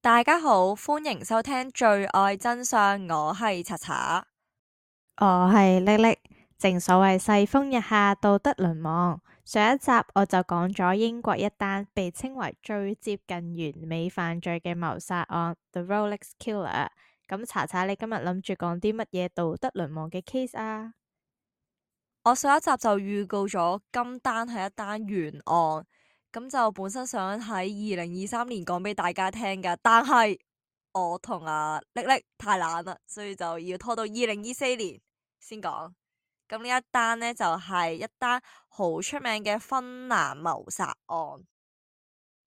大家好，歡迎收聽罪愛真相，我係查查。我係叻叻，正所謂世風日下，道德淪亡。上一集我就講咗英國一單被稱為最接近完美犯罪嘅謀殺案，The Rolex Killer。咁查查，你今日諗住講啲乜嘢道德淪亡嘅 case 啊？我上一集就預告咗今單係一單懸案，咁就本身想喺2023年講俾大家聽㗎，但係我同阿叻叻太懶啦，所以就要拖到2024年先講。咁呢一單呢，就係一單好出名嘅芬蘭謀殺案。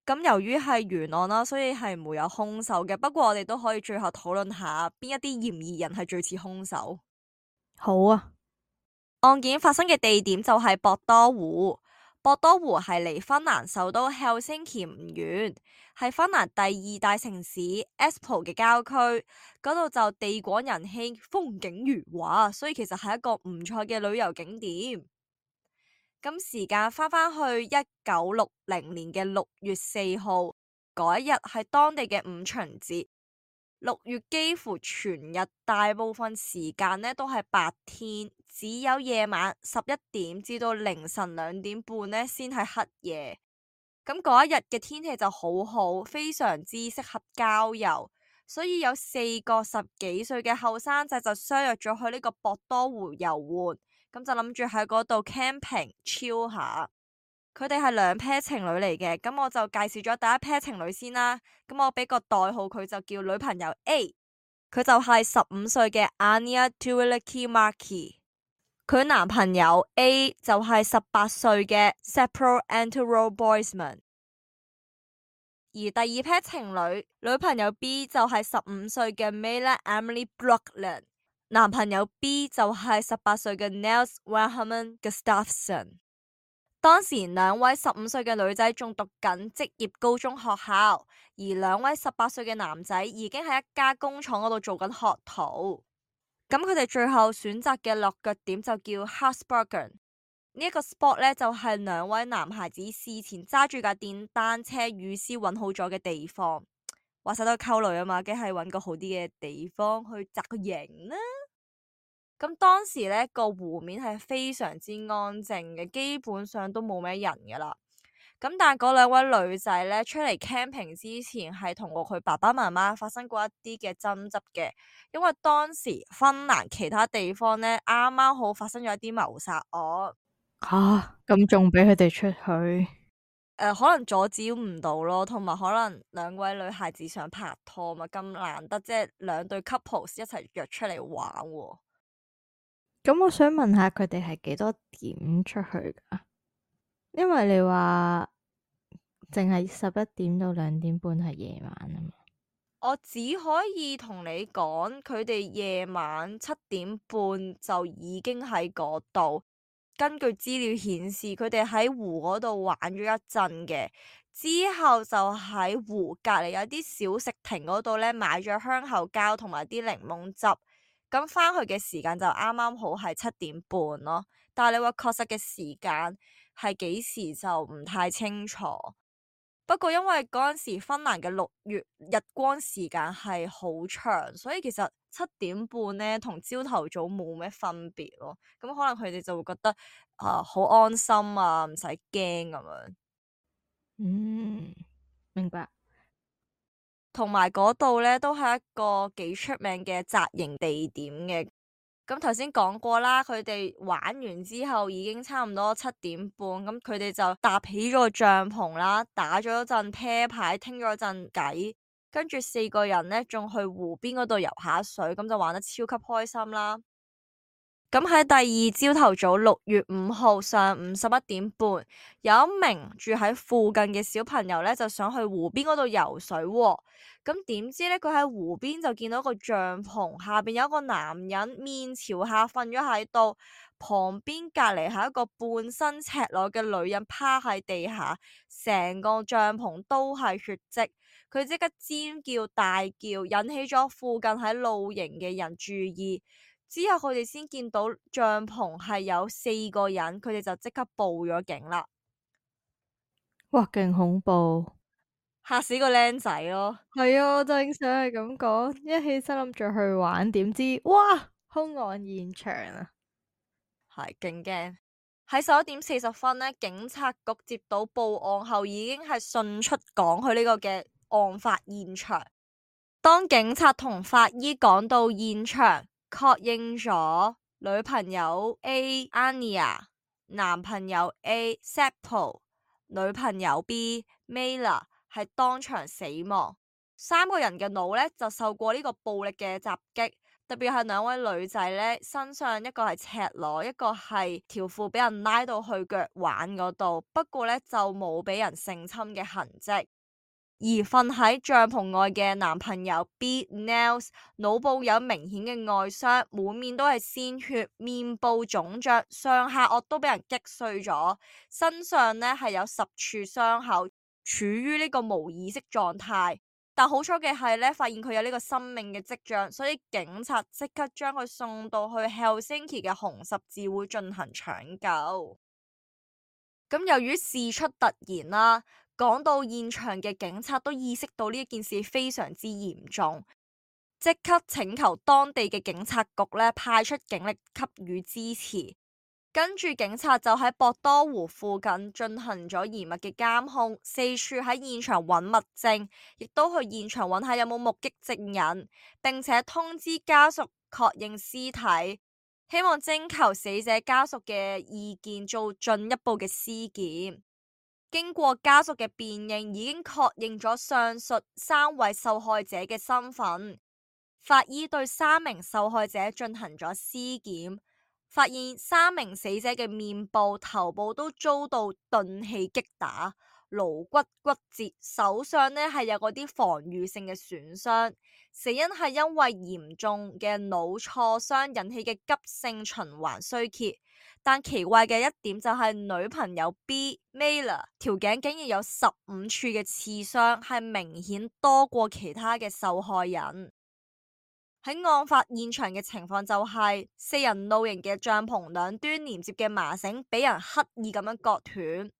咁由於係懸案啦，所以係冇有兇手嘅。不過我哋都可以最後討論下邊一啲嫌疑人係最似兇手。好啊。案件發生嘅地點就係博多湖。博多湖係離芬蘭首都 Helsinki 唔遠，係芬蘭第二大城市 Espoo 嘅郊區。嗰度就地廣人稀，風景如畫，所以其實係一個唔錯嘅旅遊景點。咁時間翻返去1960年嘅6月4號，嗰一日係當地嘅五旬節。6月幾乎全日大部分時間呢都係白天，只有夜晚11點至到凌晨2點半呢先係黑夜。咁嗰一日嘅天氣就好好，非常之適合郊遊，所以有4個10幾歲嘅後生仔就相約咗去呢個博多湖遊玩，咁就諗住喺嗰度 camping chill 下。佢哋係兩 pair 情侶嚟嘅，咁我就介紹咗第一 pair 情侶先啦。咁我俾個代號佢就叫女朋友 A，佢就係15歲嘅 Anja Tuulikki-Maki，佢男朋友 A 就係18歲嘅 Seppo Antero Boisman，而第二 pair 情侶女朋友 B 就係15歲嘅 Mille Emily Brooklyn，男朋友 B 就係18歲嘅 Niels Wilhelm Gustafsson。當時兩位15歲嘅女仔仲讀緊職業高中學校，而兩位18歲嘅男仔已經喺一家工廠嗰度做緊學徒。咁佢哋最後選擇嘅落腳點就叫 Hartsbergen。呢一個 spot 呢，就係兩位男孩子事前揸住架電單車預先揾好咗嘅地方。話晒都係溝女啊嘛，梗係揾個好啲嘅地方去紮個營啦。咁當時呢個湖面係非常之安靜嘅，基本上都冇咩人噶啦。咁但係嗰兩位女仔呢，出嚟 camping 之前係同過佢爸爸媽媽發生過一啲嘅爭執嘅，因為當時芬蘭其他地方呢，啱啱好發生咗一啲謀殺案。咁仲俾佢哋出去？可能阻止唔到咯，同埋可能兩位女孩子想拍拖嘛，咁難得即係兩對 couple 一齊約出嚟玩喎。咁我想問下佢哋係幾多點出去噶？因為你話淨係11點到2點半係夜晚啊嘛。我只可以同你講，佢哋夜晚7點半就已經喺嗰度。根據資料顯示，佢哋喺湖嗰度玩咗一陣嘅，之後就喺湖隔籬有啲小食亭嗰度呢買咗香口膠同埋啲檸檬汁。咁返去嘅時間就啱啱好係7點半咯。但係你話確實嘅時間係幾時就唔太清楚。不過因為嗰陣時芬蘭嘅6月日光時間係好長，所以其實7點半呢同朝頭早冇咩分別咯。咁可能佢哋就會覺得好安心啊，唔使驚咁樣。嗯，明白。同埋嗰度呢都係一個幾出名嘅紮營地點嘅。咁頭先講過啦，佢哋玩完之後已經差唔多7點半，咁佢哋就搭起咗個帳篷啦，打咗一陣啤牌，傾咗一陣偈，跟住4個人呢仲去湖邊嗰度游下水，咁就玩得超級開心啦。咁喺第二朝頭早6月5號上午11點半，有一名住喺附近嘅小朋友呢，就想去湖邊嗰度游水喎。咁點知呢？佢喺湖邊就見到個帳篷下邊有一個男人面朝下瞓咗喺度，旁邊隔籬係一個半身赤裸嘅女人趴喺地下，成個帳篷都係血跡。佢即刻尖叫大叫，引起咗附近喺露營嘅人注意。之後佢哋先見到帳篷係有4個人，佢哋就即刻報咗警啦。哇，勁恐怖！嚇死個僆仔咯。係啊，我正想係咁講，一起身諗住去玩，點知哇，兇案現場啊！係勁驚。喺11:40呢，警察局接到報案後，已經係迅速趕去呢個嘅案發現場。當警察同法醫趕到現場，確認咗女朋友 A Anya、男朋友 A Seppo、女朋友 B Mela 係當場死亡。三個人嘅腦呢就受過呢個暴力嘅襲擊，特別係兩位女仔呢，身上一個係赤裸，一個係條褲俾人拉到去腳腕嗰度，不過呢就冇俾人性侵嘅痕跡。而瞓喺帳篷外嘅男朋友 B Nels 腦部有明顯嘅外傷，滿面都係鮮血，面部腫脹，上下顎都俾人擊碎咗，身上呢係有10處傷口，處於呢個無意識狀態。但好彩嘅係呢，發現佢有呢個生命嘅跡象，所以警察即刻將佢送到去 Helsinki 嘅紅十字會進行搶救。咁由於事出突然啦，趕到現場嘅警察都意識到呢件事非常之嚴重，即刻請求當地嘅警察局呢派出警力給予支持。跟住警察就喺博多湖附近進行咗嚴密嘅監控，四處喺現場揾物證，亦都去現場揾下有冇目擊證人，並且通知家屬確認屍體，希望徵求死者家屬嘅意見做進一步嘅屍檢。經過家屬嘅辨認，已經確認咗上述3位受害者嘅身份。法醫對3名受害者進行咗屍檢，發現3名死者嘅面部、頭部都遭到鈍器擊打，顱骨骨折，手上呢係有嗰啲防禦性嘅損傷。死因係因為嚴重嘅腦挫傷引起嘅急性循環衰竭。但奇怪嘅一點就係女朋友 B Mela 條頸竟然有15處嘅刺傷，係明顯多過其他嘅受害人。喺案發現場嘅情況就係4人露營嘅帳篷兩端連接嘅麻繩俾人刻意咁樣割斷，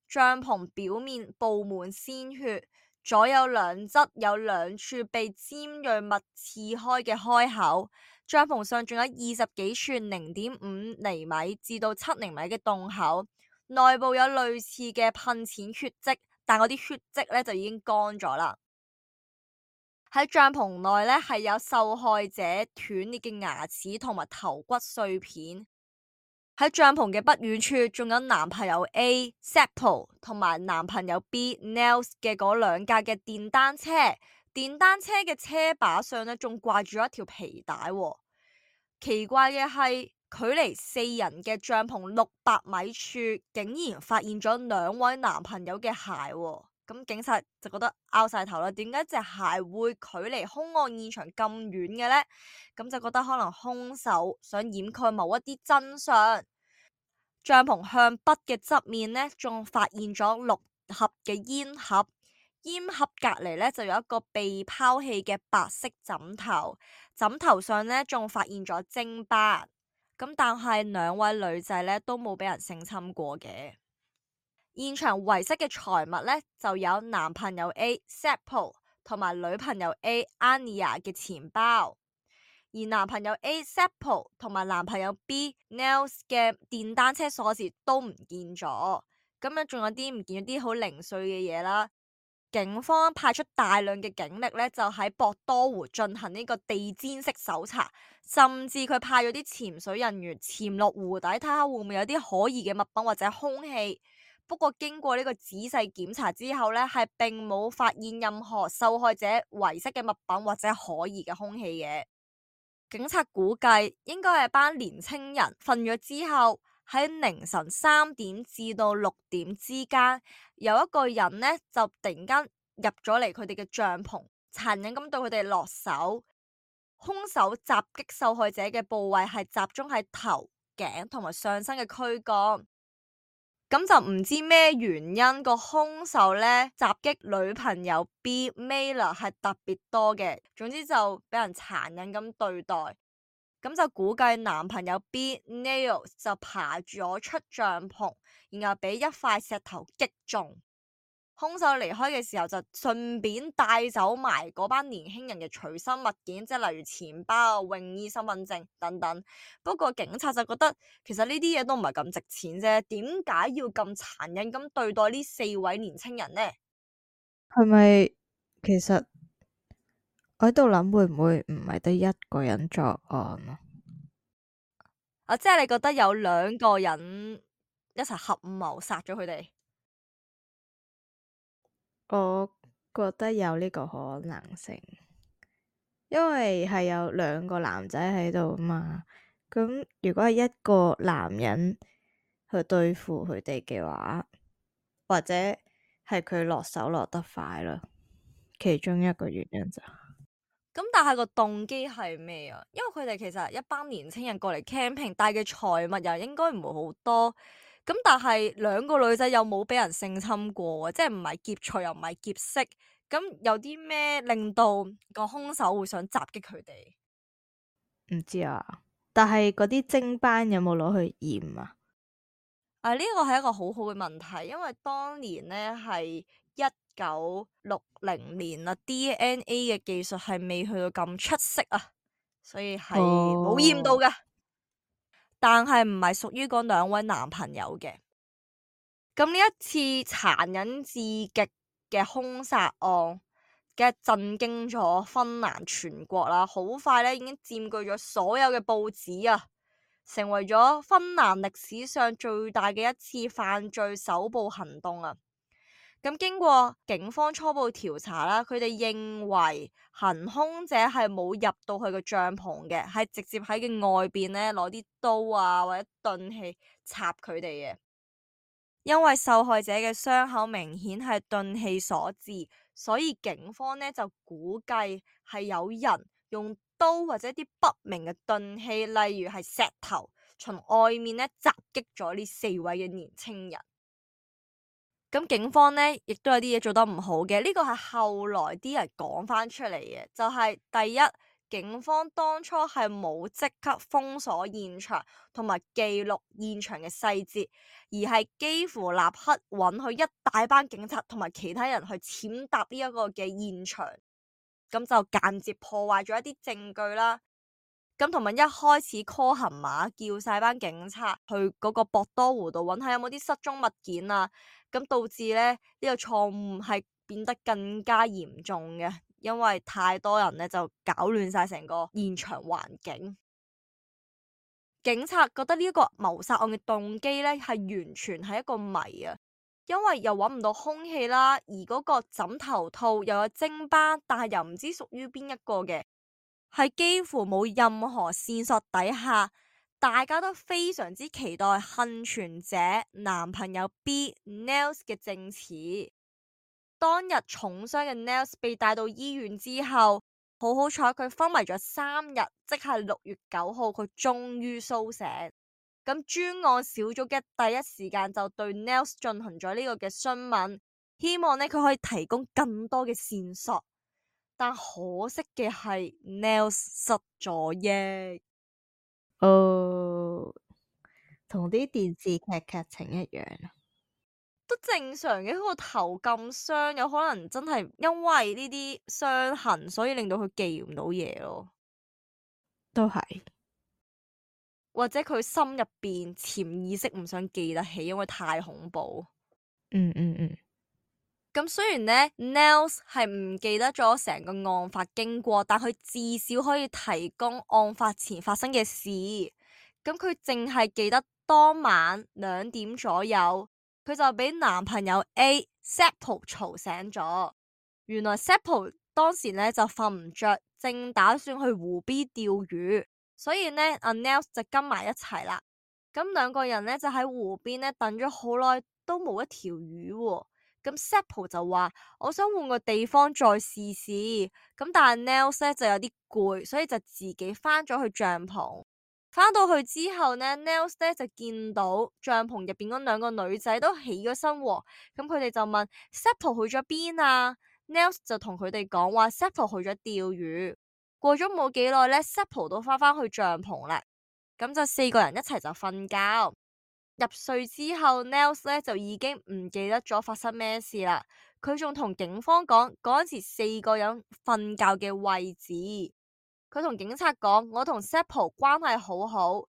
帳篷表面布滿鮮血，左右兩側有2處被尖銳物刺開嘅開口，帳篷上仲有20幾處0.5厘米至到7厘米嘅洞口，內部有類似嘅噴濺血跡，但嗰啲血跡呢就已經乾咗啦。喺帳篷內呢，係有受害者斷裂嘅牙齒同埋頭骨碎片。喺帳篷嘅不遠處，仲有男朋友 A Seppo 同埋男朋友 B Nels 嘅嗰2架嘅電單車。電單車嘅車把上呢，仲掛住一條皮帶喎。奇怪嘅係，距離4人嘅帳篷600米處，竟然發現咗2位男朋友嘅鞋喎。咁警察就覺得拗晒頭啦，點解隻鞋會距離兇案現場咁遠嘅呢？咁就覺得可能兇手想掩蓋某一啲真相。帳篷向北嘅側面呢，仲發現咗6盒嘅煙盒，煙盒隔籬呢就有一個被拋棄嘅白色枕頭，枕頭上呢仲發現咗精斑。咁但係2位女仔呢都冇俾人性侵過嘅。現場遺失嘅財物呢，就有男朋友 A Seppo 同埋女朋友 A Anya 嘅錢包，而男朋友 A Seppo 同埋男朋友 B Nels 嘅電單車鎖匙都唔見咗。咁樣仲有啲唔見咗啲好零碎嘅嘢啦。警方派出大量嘅警力呢，就喺博多湖進行呢個地毯式搜查，甚至佢派咗啲潛水人員潛落湖底睇下會唔會有啲可疑嘅物品或者兇器。不過經過呢個仔細檢查之後呢，係並冇發現任何受害者遺失嘅物品或者可疑嘅兇器嘅。警察估計應該係班年青人瞓咗之後，喺凌晨3點至到6點之間，有一個人呢就突然間入咗嚟佢哋嘅帳篷，殘忍咁對佢哋落手。兇手襲擊受害者嘅部位係集中喺頭、頸同埋上身嘅軀幹。咁就唔知咩原因個兇手呢襲擊女朋友 B Mela 係特別多嘅，總之就俾人殘忍咁對待。咁就估計男朋友 B Nels 就爬咗出帳篷，然後俾一塊石頭擊中。兇手離開嘅時候就順便帶走埋嗰班年輕人嘅隨身物件，即係例如錢包、泳衣、身份證等等。不過警察就覺得其實呢啲嘢都唔係咁值錢啫，點解要咁殘忍咁對待呢4位年輕人呢？係咪其實我喺度諗，會唔會唔係得一個人作案啊？即係你覺得有2個人一齊合謀殺咗佢哋？我覺得有呢個可能性，因為係有2個男仔喺度嘛。咁如果係一個男人去對付佢哋嘅話，或者係佢落手落得快啦，其中一個原因就咁但係個動機係咩啊？因為佢哋其實一班年青人過嚟 camping，帶嘅財物又應該唔會好多。咁但係2個女仔又冇俾人性侵過，即係唔係劫財又唔係劫色。咁有啲咩令到個兇手會想襲擊佢哋？唔知啊。但係嗰啲偵班有冇攞去驗啊？呢個係一個好好嘅問題，因為當年呢係1960年啦，DNA 嘅技術係未去到咁出色啊，所以係冇驗到嘅。但係唔係屬於嗰2位男朋友嘅。咁呢一次殘忍至極嘅兇殺案，嘅震驚咗芬蘭全國啦，好快咧已經佔據咗所有嘅報紙啊，成為咗芬蘭歷史上最大嘅一次犯罪搜捕行動啊！咁經過警方初步調查啦，佢哋認為行兇者係冇入到去個帳篷嘅，係直接喺嘅外邊咧攞啲刀啊或者鈍器插佢哋嘅。因為受害者嘅傷口明顯係鈍器所致，所以警方呢就估計係有人用刀或者啲不明嘅鈍器，例如係石頭，從外面呢襲擊咗呢4位嘅年輕人。咁警方呢亦都有啲嘢做得唔好嘅，呢個係後來啲人講翻出嚟嘅，就係第一，警方當初係冇即刻封鎖現場同埋記錄現場嘅細節，而係幾乎立刻允許一大班警察同埋其他人去踐踏呢一個嘅現場，咁就間接破壞咗一啲證據啦。咁同埋一開始 call 行馬叫晒班警察去嗰個博多湖度揾下有冇啲失蹤物件啊，咁導致咧呢個錯誤係變得更加嚴重嘅，因為太多人咧就搞亂晒成個現場環境。警察覺得呢一個謀殺案嘅動機咧係完全係一個謎啊，因為又揾唔到兇器啦，而嗰個枕頭套又有精斑，但係又唔知屬於邊一個嘅。係幾乎冇任何線索底下，大家都非常之期待幸存者男朋友 B Nels 嘅證詞。當日重傷嘅 Nels 被帶到醫院之後，好彩佢昏迷咗3日，即係6月9號，佢終於蘇醒。咁專案小組嘅第一時間就對 Nels 進行咗呢個嘅詢問，希望呢佢可以提供更多嘅線索。但可惜嘅係 Nels 失咗憶。同啲電視劇劇情一樣，都正常嘅。佢個頭咁傷，有可能真係因為呢啲傷痕，所以令到佢記唔到嘢咯。都係，或者佢心入邊潛意識唔想記得起，因為太恐怖。咁雖然呢 Nels 係唔記得咗成個案發經過，但佢至少可以提供案發前發生嘅事。咁佢淨係記得當晚2點左右，佢就俾男朋友 A Seppo 嘈醒咗。原來 Seppo 當時呢就瞓唔着，正打算去湖邊釣魚，所以呢阿 Nels 就跟埋一齊啦。咁2個人呢就喺湖邊呢等咗好耐，都冇一條魚喎。咁 Seppo 就話我想換個地方再試試，咁但係 Nels 咧就有啲攰，所以就自己翻咗去帳篷。翻到去之後呢 Nels 咧就見到帳篷入邊嗰2個女仔都起咗身喎，咁佢哋就問 Seppo 去咗邊啊？ Nels 就同佢哋講話 Seppo 去咗釣魚。過咗冇幾耐呢 Seppo 都翻去帳篷啦，咁就4個人一齊就瞓覺。入睡之後 Nels 咧就已經唔記得咗發生咩事啦。佢仲同警方講嗰陣時4個人瞓覺嘅位置。佢同警察講：我同 Seppo 關係好好，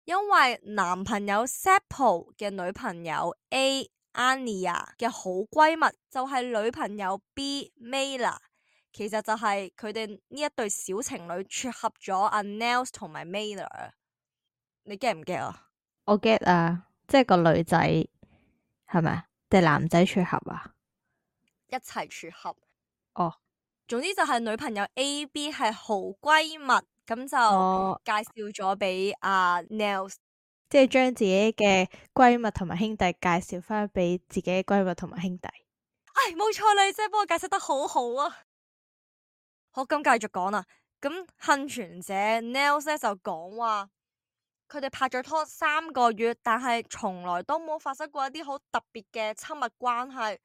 因為男朋友 Seppo 嘅女朋友 Ania 嘅好閨蜜就係女朋友 Mela， 其實就係佢哋呢一對小情侶撮合咗阿 Nels 同埋 Mela。你 get 唔 get 啊？我 get 啊，即係個女仔係咪啊？定男仔撮合啊？一齊撮合。哦，總之就係女朋友 AB 係好閨蜜，咁就哦，介紹咗俾阿 Nels。即係將自己嘅閨蜜同埋兄弟介紹翻俾自己嘅閨蜜同埋兄弟。唉，冇錯啦，你真係幫我解釋得好好啊！好，咁繼續講啦。咁幸存者 Nels 咧就講話，佢哋拍咗拖3個月，但係從來都冇發生過一啲好特別嘅親密關係。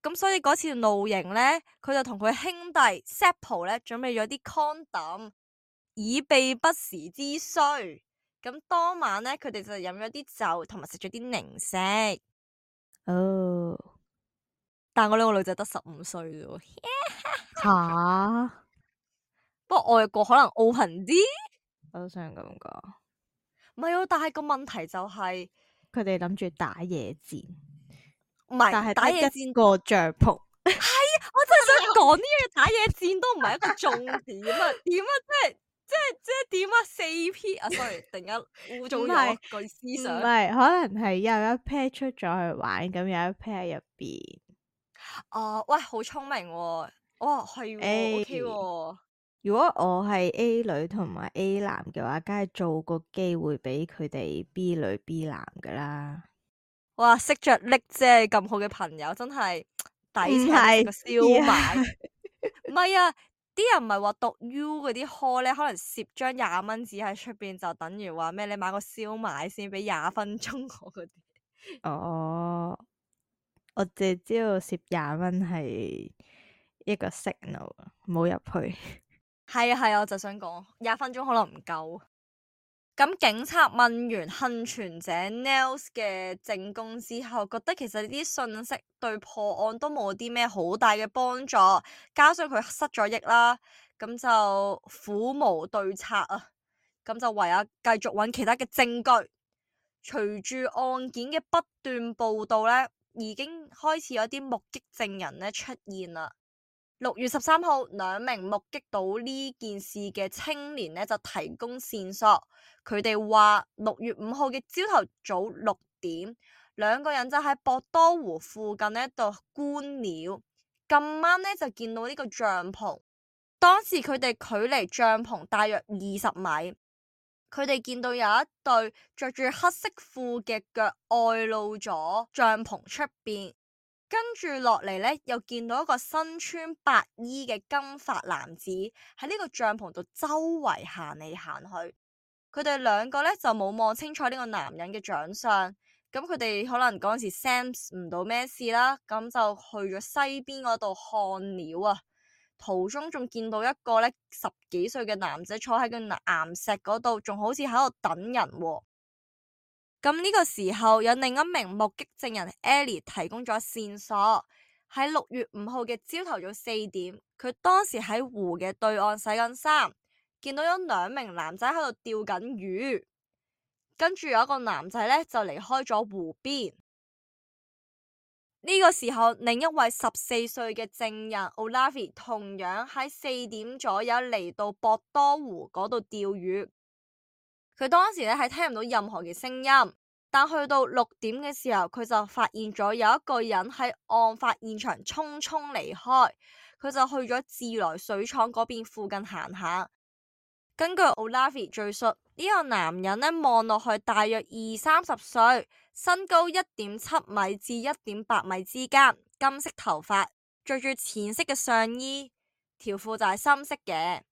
咁所以嗰次露營咧，佢就同佢兄弟 Seppo 咧準備咗啲 condom，以備不時之需。咁當晚咧，佢哋就飲咗啲酒，同埋食咗啲零食。哦，但我兩個女仔得15歲啫，吓，不過外國可能 open 啲。我都想咁講。唔係啊，但係個問題就係佢哋諗住打野戰，唔但係得係打野戰。一個帳篷。我真係想講呢樣嘢，打野戰都唔係一個重點啊！點啊，即係點啊？4P 啊，sorry，突然間污糟咗句思唔想。係，可能係有一 pair 出咗去玩，咁有一 pair 喺入邊。喂，好聰明喎！哇，係喎 A ，OK 喎。如果我係 A 女同埋 A 男嘅話，梗係做個機會俾佢哋 B 女 B 男噶啦。哇，識着力啫，咁好嘅朋友真係抵請唔係食個燒賣。唔係啊，啲人唔係話讀 U 嗰啲 hall 咧，可能攝張20蚊紙喺出邊，就等於話咩？你買個燒賣先俾20分鐘我嗰啲。哦，我淨係知道攝20蚊係一個 signal，唔好入去。係啊係啊，我就想講20分鐘可能唔夠。咁警察問完幸存者 Nels 嘅證供之後，覺得其實呢啲信息對破案都冇啲咩好大嘅幫助，加上佢失咗憶啦，咁就苦無對策啊，咁就唯有繼續揾其他嘅證據。隨住案件嘅不斷報道呢，已經開始有啲目擊證人呢出現啦。6月13號，2名目擊到呢件事嘅青年呢就提供線索。佢哋話6月5號嘅朝頭早6點，2個人就喺博多湖附近呢度觀鳥，咁啱呢就見到呢個帳篷。當時佢哋距離帳篷大約20米，佢哋見到有一對着住黑色褲嘅腳外露咗帳篷出邊。跟住落嚟呢，又見到一個身穿白衣嘅金髮男子喺呢個帳篷度周圍行嚟行去。佢哋2個呢，就冇望清楚呢個男人嘅長相，咁佢哋可能嗰陣時 sense 唔到咩事啦，咁就去咗西邊嗰度看鳥啊。途中仲見到一個呢10幾歲嘅男仔坐喺個岩石嗰度，仲好似喺度等人喎。咁呢個時候有另一名目擊證人 Ellie 提供咗線索，喺6月5號嘅朝頭早4點，佢當時喺湖嘅對岸洗緊衫，見到有2名男仔喺度釣緊魚，跟住有一個男仔呢就離開咗湖邊。呢個時候，另一位14歲嘅證人 Olavi 同樣喺4點左右嚟到博多湖嗰度釣魚。佢當時咧係聽唔到任何嘅聲音，但去到6點嘅時候，佢就發現咗有一個人喺案發現場匆匆離開，佢就去咗自來水廠嗰邊附近行下。根據 Olavi 敘述，呢個男人呢望落去大約20-30歲，身高1.7米至1.8米之間，金色頭髮，着住淺色嘅上衣，條褲就係深色嘅。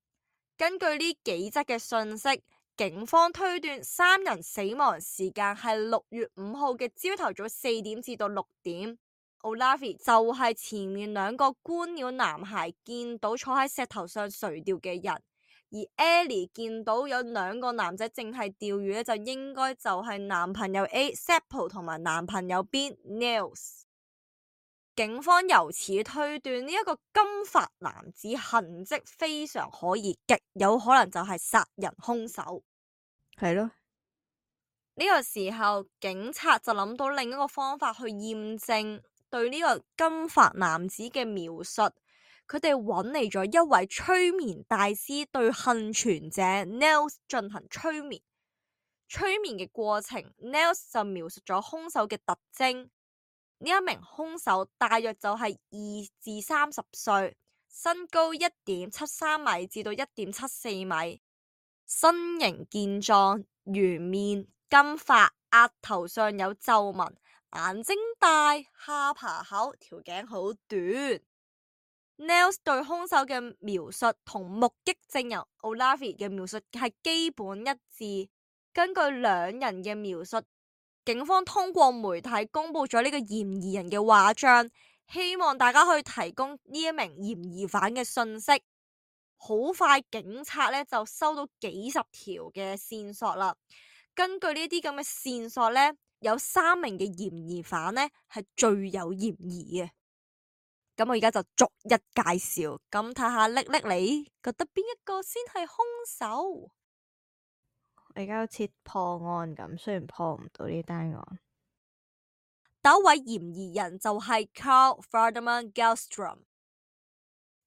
根據呢幾則嘅信息，警方推斷3人死亡時間係6月5號嘅朝頭早4點至到6點。Olavi 就係前面2個觀鳥男孩見到坐喺石頭上垂釣嘅人，而 Ellie 見到有2個男仔淨係釣魚咧，就應該就係男朋友 A Seppo 同埋男朋友 B Nels。警方由此推斷呢一個金髮男子痕跡非常可疑，極有可能就係殺人兇手。係咯，呢個時候警察就諗到另一個方法去驗證對呢個金髮男子嘅描述，佢哋揾嚟咗一位催眠大師對幸存者 Nels 進行催眠。催眠嘅過程 Nels 就描述咗兇手嘅特徵。呢一名兇手大約就係2至30歲，身高1.73米至到1.74米，身形健壯，圓面，金髮，額頭上有皺紋，眼睛大，下巴厚，條頸好短。Nels 對兇手嘅描述同目擊證人 Olavi 嘅描述係基本一致。根據兩人嘅描述，警方通過媒體公布咗呢個嫌疑人嘅畫像，希望大家可以提供呢一名嫌疑犯嘅信息。好快，警察呢就收到幾十條嘅線索啦。根據呢啲咁嘅線索呢，有3名嘅嫌疑犯呢係最有嫌疑嘅。咁我而家就逐一介紹，咁睇下叻叻你覺得邊一個先係兇手？我而家好似破案咁，雖然破唔到呢單案。第一位嫌疑人就係 Carl Ferdinand Gellstrom，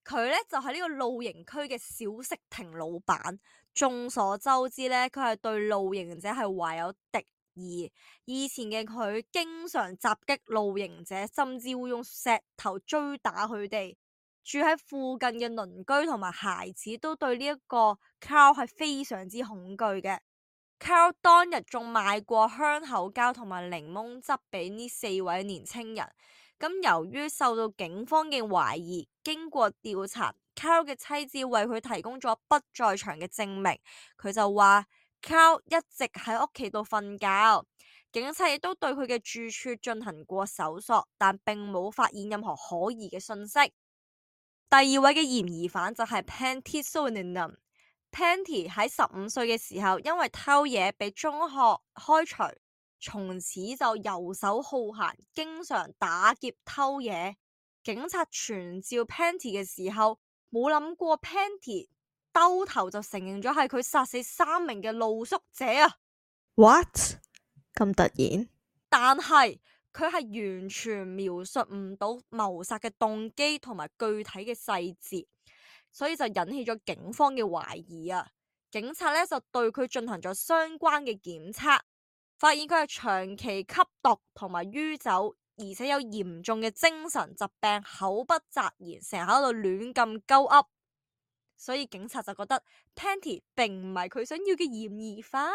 佢呢就係呢個露營區嘅小食亭老闆。眾所周知呢，佢係對露營者係懷有敵意。以前嘅佢經常襲擊露營者，甚至會用石頭追打佢哋。住喺附近嘅鄰居同埋孩子都對呢一個 Carl 係非常之恐懼嘅。Carl 當日仲賣過香口膠同埋檸檬汁俾呢4位年青人。咁由於受到警方嘅懷疑，經過調查， Carl 嘅妻子為佢提供咗不在場嘅證明。佢就話 Carl 一直喺屋企度瞓覺，警察亦都對佢嘅住處進行過搜索，但並冇發現任何可疑嘅信息。第二位嘅嫌疑犯就係 Pentti Suhonen。Pentti 喺15歲嘅時候，因為偷嘢被中學開除，從此就游手好閒，經常打劫偷嘢。警察傳召 Pentti 嘅時候，冇諗過 Pentti 兜頭就承認咗係佢殺死3名嘅露宿者啊。What？ 咁突然？但係佢係完全描述唔到謀殺嘅動機同埋具體嘅細節。所以就引起咗警方嘅懷疑啊！警察呢就對佢進行咗相關嘅檢測，發現佢係長期吸毒同埋酗酒，而且有嚴重嘅精神疾病，口不擇言，成日喺度亂咁鳩噏。所以警察就覺得 Pentti 並唔係佢想要嘅嫌疑犯，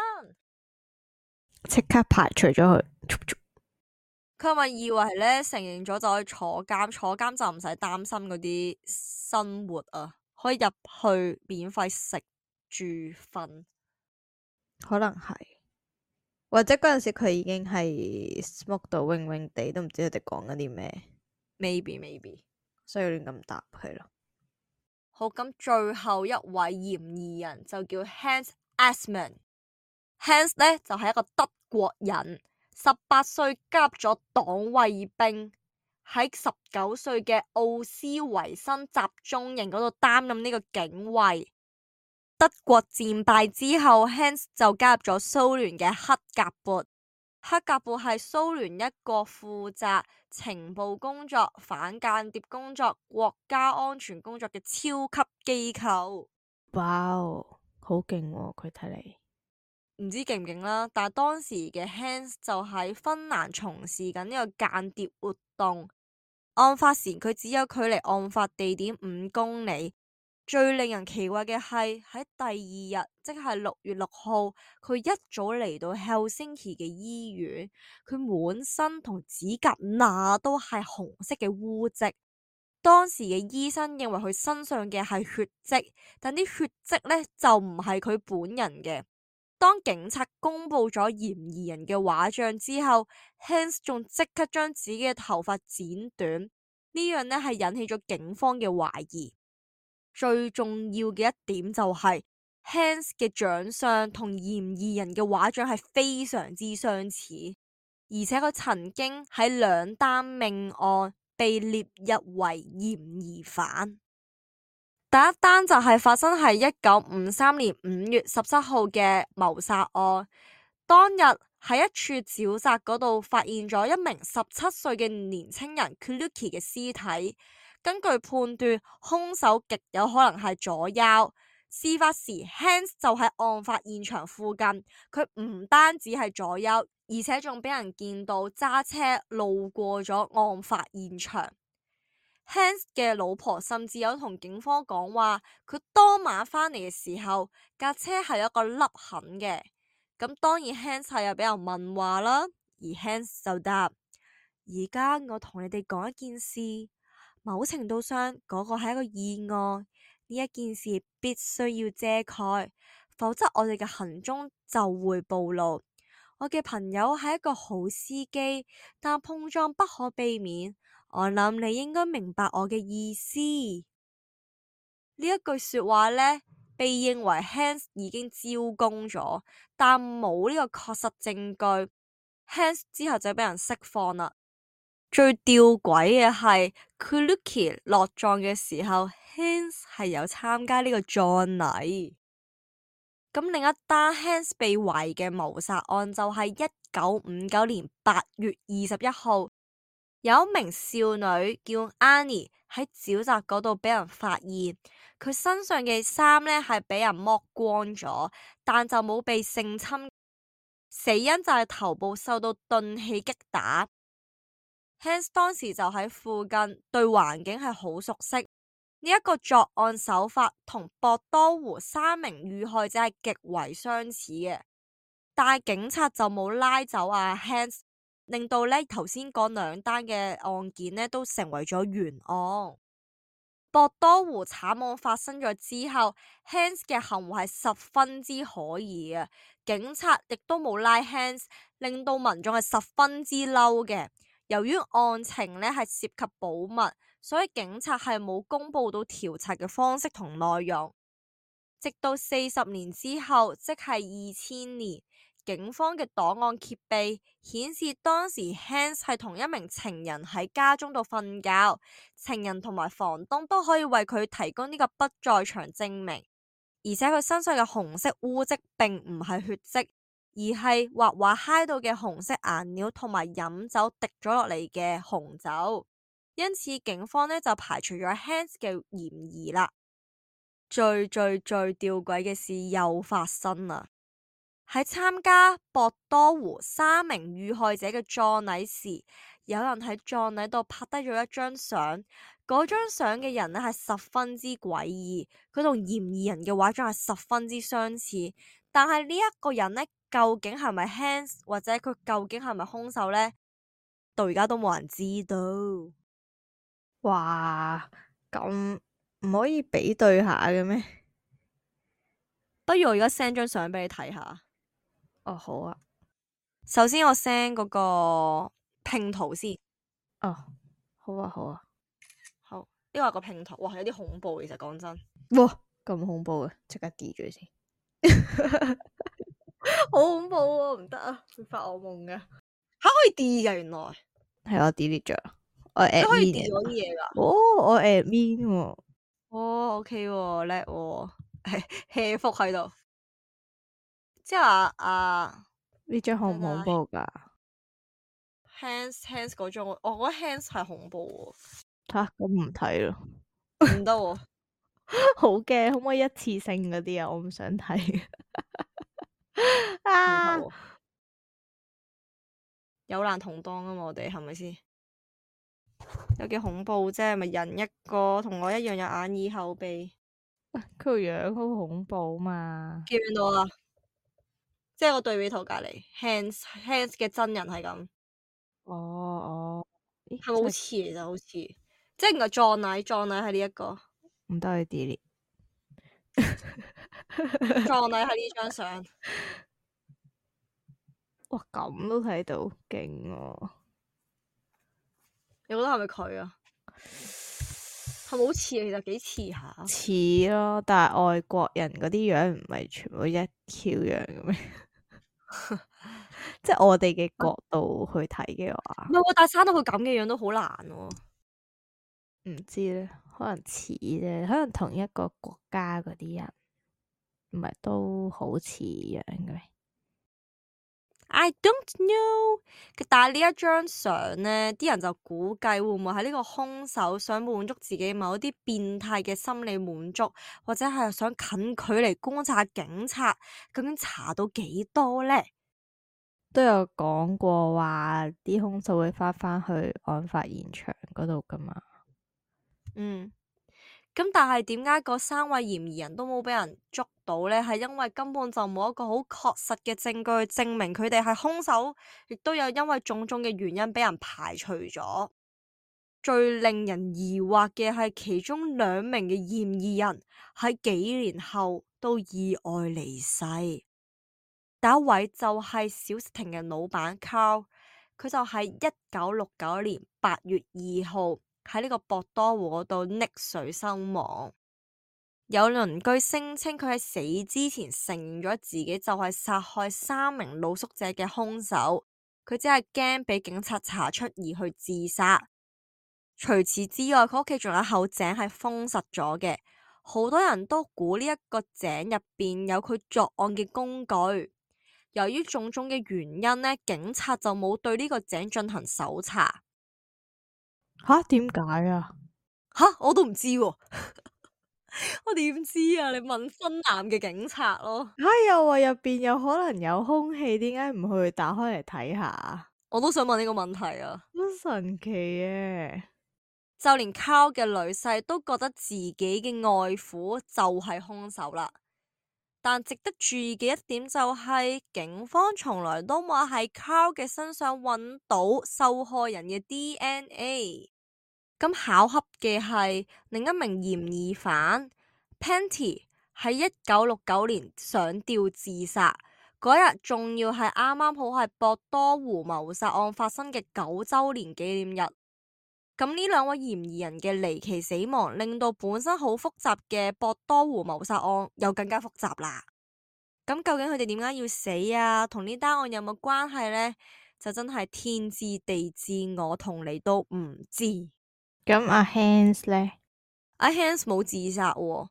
即刻排除咗佢。佢咪以為呢承認咗就可以坐監，坐監就唔使擔心嗰啲生活啊，可以入去免費食住瞓，可能係，或者嗰陣時佢已經係 smoke 到暈暈地，都唔知佢哋講緊啲咩。maybe，所以亂咁答佢咯。好，咁最後一位嫌疑人就叫 Hans Assmann。Hans 呢就係一個德國人，18歲加入咗黨衛兵，喺19歲嘅奧斯維辛集中營嗰度擔任呢個警衛。德國戰敗之後 Hans 就加入咗蘇聯嘅黑格勃。黑格勃係蘇聯一個負責情報工作、反間諜工作、國家安全工作嘅超級機構。哇哦，好勁喎！佢睇嚟唔知勁唔勁啦，但係當時嘅 Hans 就喺芬蘭從事緊呢個間諜活動。案發時佢只有距離案發地點5公里。最令人奇怪嘅係喺第二日，即係6月6號，佢一早嚟到 Helsinki 嘅醫院，佢滿身同指甲那都係紅色嘅污漬。當時嘅醫生認為佢身上嘅係血跡，但啲血跡呢就唔係佢本人嘅。當警察公布咗嫌疑人嘅畫像之後， Hans 仲即刻將自己嘅頭髮剪短，呢樣呢係引起咗警方嘅懷疑。最重要嘅一點就係 Hans 嘅長相同嫌疑人嘅畫像係非常之相似，而且佢曾經喺2單命案被列入為嫌疑犯。第一單就係發生喺1953年5月17號嘅謀殺案。當日喺一處沼澤嗰度發現咗一名17歲嘅年輕人 Kluki 嘅屍體。根據判斷，兇手極有可能係左優。事發時 Hans 就喺案發現場附近，佢唔單止係左優，而且仲俾人見到揸車路過咗案發現場。Hans 嘅老婆甚至有同警方講話，佢當晚返嚟嘅時候，架車係有一個凹痕嘅。咁當然 Hans 係有俾人問話啦，而 Hans 就答：而家我同你哋講一件事，某程度上嗰個係一個意外，呢一件事必須要遮蓋，否則我哋嘅行蹤就會暴露。我嘅朋友係一個好司機，但碰撞不可避免。我諗你應該明白我嘅意思。呢一句說話呢，被認為 Hans 已經招供咗，但冇呢個確實證據。Hans 之後就俾人釋放啦。最吊詭嘅係 Kluki 落葬嘅時候 ，Hans 係有參加呢個葬禮。咁另一單 Hans 被懷疑嘅謀殺案就係1959年8月21號。有一名少女叫 Annie 喺沼澤嗰度俾人發現，佢身上嘅衫呢係俾人剝光咗，但就冇被性侵，死因就係頭部受到鈍器擊打。Hans 當時就喺附近，對環境係好熟悉。呢一個作案手法同博多湖3名遇害者係極為相似嘅，但係警察就冇拉走Hans。令到呢頭先講兩單嘅案件呢都成為咗懸案。博多湖慘案發生咗之後 ，Hans 嘅行為係十分之可疑嘅，警察亦都冇拉 Hans， 令到民眾係十分之嬲嘅。由於案情呢係涉及保密，所以警察係冇公布到調查嘅方式同內容。直到40年之後，即係2000年。警方嘅檔案揭秘顯示，當時 Hans 係同一名情人喺家中度瞓覺，情人同埋房東都可以為佢提供呢個不在場證明，而且佢身上嘅紅色污漬並唔係血跡，而係畫畫揩到嘅紅色顏料同埋飲酒滴咗落嚟嘅紅酒，因此警方呢就排除咗 Hans 嘅嫌疑啦。最吊詭嘅事又發生啦！喺參加博多湖3名遇害者嘅葬禮時，有人喺葬禮度拍低咗一張相。嗰張相嘅人呢係十分之詭異，佢同嫌疑人嘅畫像係十分之相似。但係呢一個人呢，究竟係咪 Hans 或者佢究竟係咪兇手呢？到而家都冇人知道。哇，咁唔可以比對下嘅咩？不如我而家 send 張相俾你睇下。哦，好啊。首先我 send 嗰個拼圖先。哦，好啊，好啊。好，呢個係個拼圖。哇，有啲恐怖，其實講真。哇，咁恐怖啊！即刻 delete 咗先。好恐怖啊！唔得啊，會發惡夢噶。吓，可以 delete 噶？原來係我 delete 咗。我 admin 可以 delete 嗰啲嘢噶。哦，我 admin 喎。哦，OK 喎，叻喎，hea 福喺度。即係呢張恐唔恐怖噶？Hans 嗰張，我覺得 Hans 係恐怖喎。吓，咁唔睇咯。唔得喎，好驚，可唔可以一次性嗰啲啊？我唔想睇。啊！有難同當啊嘛，我哋係咪先？有幾恐怖啫？咪人一個，同我一樣有眼耳口鼻。佢個樣好恐怖嘛？見唔見到啊？即係個對比圖隔籬 ，Hans 嘅真人係咁。哦，係咪好似？其實好似，即係原來葬禮係呢一個。唔得去 delete。葬禮係呢張相。哇，咁都睇到，勁喎！你覺得係咪佢啊？係咪好似？其實幾似下。似咯，但係外國人嗰啲樣唔係全部一 Q 樣嘅咩？即係我哋嘅角度去睇嘅話，唔係喎，但係生到佢咁嘅樣都好難喎。唔知咧，可能似啫，可能同一個國家嗰啲人，唔係都好似樣嘅咩？I don't know。但係呢一張相呢，啲人就估計會唔會係呢個兇手想滿足自己某一啲變態嘅心理滿足，或者係想近距離觀察警察究竟查到幾多呢？都有講過話啲兇手會返去案發現場嗰度噶嘛。嗯。咁但係點解嗰3位嫌疑人都冇俾人捉到呢？係因為根本就冇一個好確實嘅證據證明佢哋係兇手，亦都有因為種種嘅原因俾人排除咗。最令人疑惑嘅係其中2名嘅嫌疑人喺幾年後都意外離世。第一位就係小食亭嘅老闆 Carl，佢就喺1969年8月2號喺呢個博多湖嗰度溺水身亡。有鄰居聲稱佢喺死之前承認咗自己就係殺害3名露宿者嘅兇手，佢只係驚俾警察查出而去自殺。除此之外，佢屋企仲有口井係封實咗嘅，好多人都估呢一個井入邊有佢作案嘅工具。由於種種嘅原因呢，警察就冇對呢個井進行搜查。吓？點解啊？吓？我都唔知喎。我點知啊？你問芬蘭嘅警察咯。吓，又話入邊有可能有空氣，點解唔去打開嚟睇下？我都想問呢個問題啊。好神奇嘅。就連 Carl 嘅女婿都覺得自己嘅外父就係兇手啦。但值得注意嘅一點就係，警方從來都冇喺 Carl 嘅身上揾到受害人嘅 DNA。咁巧合嘅係，另一名嫌疑犯 Penty 喺1969年上吊自殺嗰日，仲要係啱啱好係博多湖謀殺案發生嘅9周年紀念日。咁呢2位嫌疑人嘅離奇死亡，令到本身好複雜嘅博多湖謀殺案又更加複雜啦。咁究竟佢哋點解要死啊？同呢單案有冇關係呢？就真係天知地知，我同你都唔知。咁阿 Hans 呢？阿 Hans 冇自殺喎，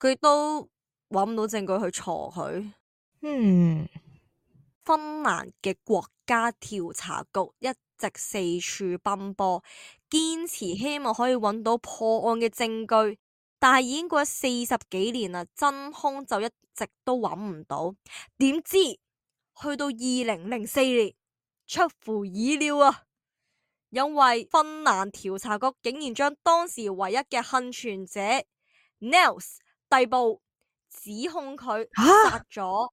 佢都揾唔到證據去鋤佢。芬蘭嘅國家調查局一直四處奔波，堅持希望可以揾到破案嘅證據，但係已經過咗40幾年啦，真兇就一直都揾唔到。點知去到2004年，出乎意料啊！因為芬蘭調查局竟然將當時唯一嘅幸存者 Nels 逮捕，指控佢殺咗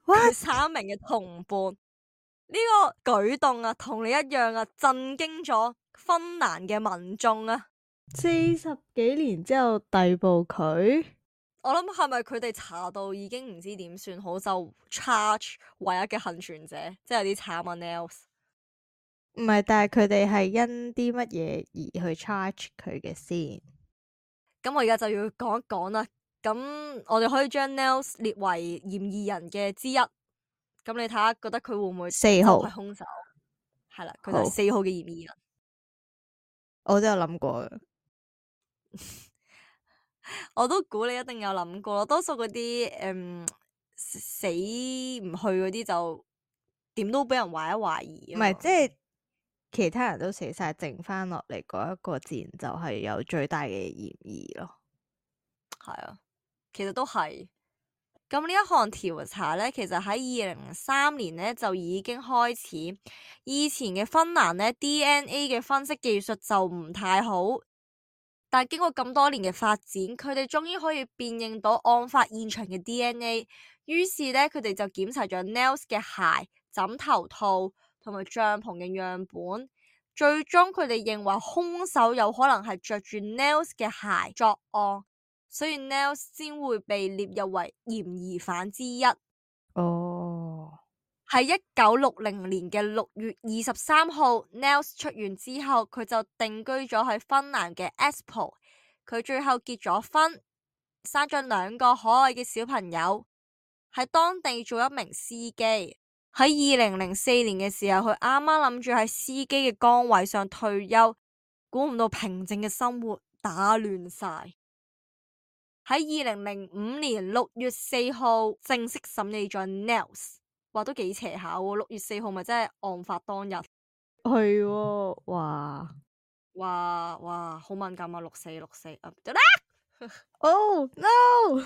佢3名嘅同伴。呢個舉動啊，同你一樣啊，震驚咗芬蘭嘅民眾啊！40幾年之後逮捕佢，我諗係咪佢哋查到已經唔知點算好，就 charge 唯一嘅幸存者，即係有啲慘啊 Nels。唔係，但係佢哋係因啲乜嘢而去 charge 佢嘅先？咁我而家就要講一講啦。咁我哋可以將 Nels 列為嫌疑人嘅之一。咁你睇下，覺得佢會唔會4號就係兇手？係啦，佢就係4號嘅嫌疑人。我都有諗過嘅。我都估你一定有諗過咯。多數嗰啲死唔去嗰啲就點都俾人懷一懷疑。唔係，即係其他人都死晒，剩翻落嚟嗰一個自然就係有最大嘅嫌疑咯。係啊，其實都係。咁呢一項調查呢，其實喺2003年呢就已經開始。以前嘅芬蘭呢 DNA 嘅分析技術就唔太好，但係經過咁多年嘅發展，佢哋終於可以辨認到案發現場嘅 DNA。於是呢，佢哋就檢查咗 Nels 嘅鞋、枕頭套同埋帳篷嘅樣本。最終佢哋認為兇手有可能係着住 Nels 嘅鞋作案，所以 Nels 先會被列入為嫌疑犯之一。哦，喺1960年嘅6月23號 Nels 出院之後，佢就定居咗喺芬蘭嘅 Espoo。佢最後結咗婚，生咗2個可愛嘅小朋友，喺當地做一名司機。喺2004年嘅時候，佢啱啱諗住喺司機嘅崗位上退休，估唔到平靜嘅生活打亂晒。喺2005年6月4號正式審理咗 Nels， 話都幾邪下喎。6月4號咪真係案發當日。係喎，哇哇，好敏感啊！6/4啊，得啦，Oh no，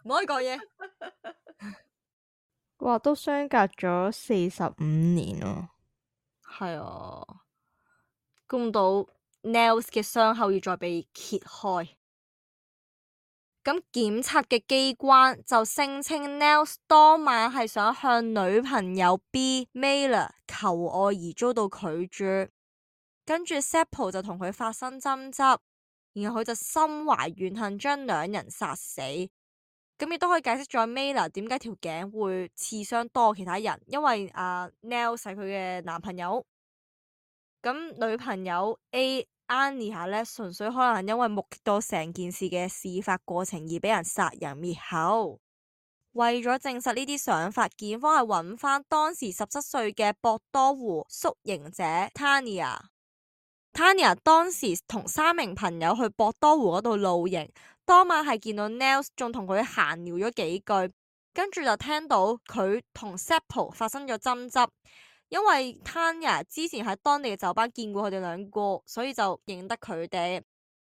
唔可以講嘢。哇，都相隔咗45年喎。係啊，估唔到 Nels 嘅傷口要再被揭開。咁檢察嘅機關就聲稱 Nels 當晚係想向女朋友 B Mailer 求愛而遭到拒絕，跟住 Seppo 就同佢發生爭執，然後佢就心懷怨恨，將兩人殺死。咁亦都可以解釋咗 Mailer 點解條頸會刺傷多其他人，因為Nels 係佢嘅男朋友。咁女朋友 Anya 呢，純粹可能因為目擊到成件事嘅事發過程而俾人殺人滅口。為咗證實呢啲想法，檢方係揾翻當時17歲嘅博多湖宿營者 Tanya。Tanya 當時同3名朋友去博多湖嗰度露營，當晚係見到 Nels 仲同佢閒聊咗幾句，跟住就聽到佢同 Seppo 發生咗爭執。因為 Tanya 之前喺當地嘅酒吧見過佢哋兩個，所以就認得佢哋。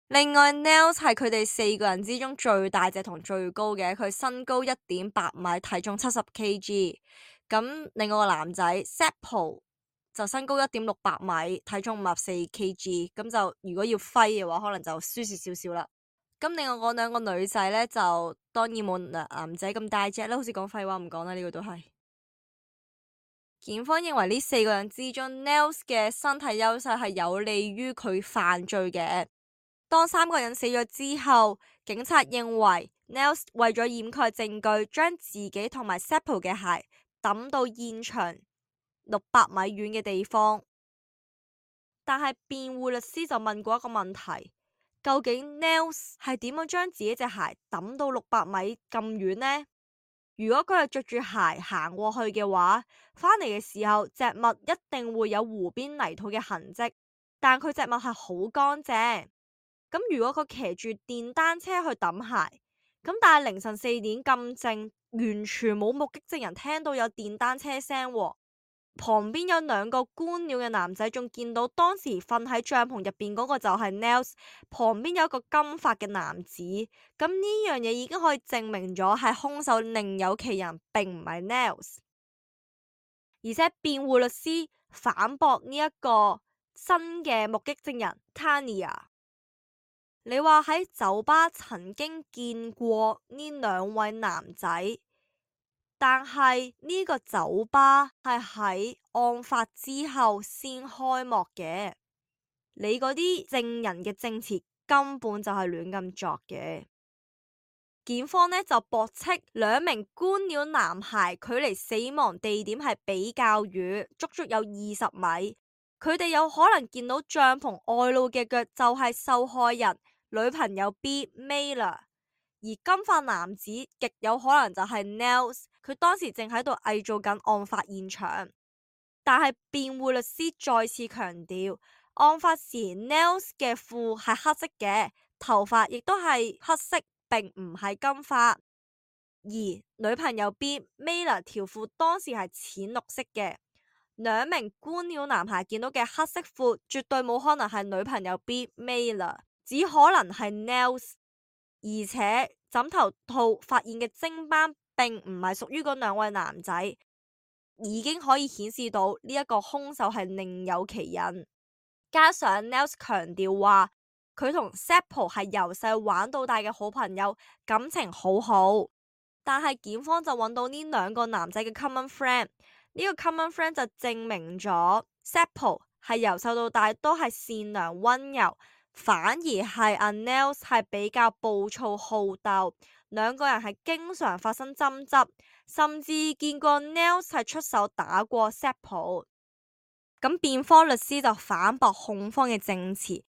另外 Nels 係佢哋4個人之中最大隻同最高嘅，佢身高1.8米，體重70 kg。咁另外個男仔 Seppo 就身高1.68米，體重54 kg。咁就如果要揮嘅話，可能就輸蝕少少啦。咁另外嗰兩個女仔呢，就當然冇男仔咁大隻啦，好似講廢話唔講啦，呢個都係。檢方認為呢4個人之中 Nels 嘅身體優勢係有利於佢犯罪嘅。當3個人死咗之後，警察認為 Nels 為咗掩蓋證據，將自己同埋 Seppo 嘅鞋抌到現場600米遠嘅地方。但係辯護律師就問過一個問題，究竟 Nels 係點樣將自己隻鞋抌到600米咁遠呢？如果佢係着住鞋行過去嘅話，返嚟嘅時候隻襪一定會有湖邊泥土嘅痕跡，但佢隻襪係好乾淨。咁如果佢騎住電單車去抌鞋，咁但係凌晨4點咁靜，完全冇目擊證人聽到有電單車聲喎。旁邊有2個觀鳥嘅男仔仲見到當時瞓喺帳篷入邊嗰個就係 Nels， 旁邊有一個金髮嘅男子。咁呢樣嘢已經可以證明咗係兇手另有其人，並唔係 Nels。而且辯護律師反駁呢一個新嘅目擊證人 Tanya， 你話喺酒吧曾經見過呢2位男仔，但係呢個酒吧係喺案發之後先開幕嘅，你嗰啲證人嘅證詞根本就係亂咁作嘅。檢方呢就駁斥2名觀鳥男孩距離死亡地點係比較遠，足足有20米，佢哋有可能見到帳篷外露嘅腳就係受害人女朋友 B Mailer。而金髮男子極有可能就係 Nels， 佢當時正喺度偽造緊案發現場。但係辯護律師再次強調，案發時 Nels 嘅褲係黑色嘅，頭髮亦都係黑色，並唔係金髮。而女朋友 B Mailer 條褲當時係淺綠色嘅。2名觀鳥男孩見到嘅黑色褲絕對冇可能係女朋友 B Mailer， 只可能係 Nels。而且枕頭套發現嘅精斑並唔係屬於嗰2位男仔，已經可以顯示到呢一個兇手係另有其人。加上 Nels 強調話佢同 Seppo 係由細玩到大嘅好朋友，感情好好。但係檢方就揾到呢2個男仔嘅 common friend， 呢個 common friend 就證明咗 Seppo 係由細到大都係善良溫柔，反而係阿 Nels 係比較暴躁好鬥，2個人係經常發生爭執，甚至見過 Nels 係出手打過 Seppo。咁辯方律師就反駁控方嘅證詞，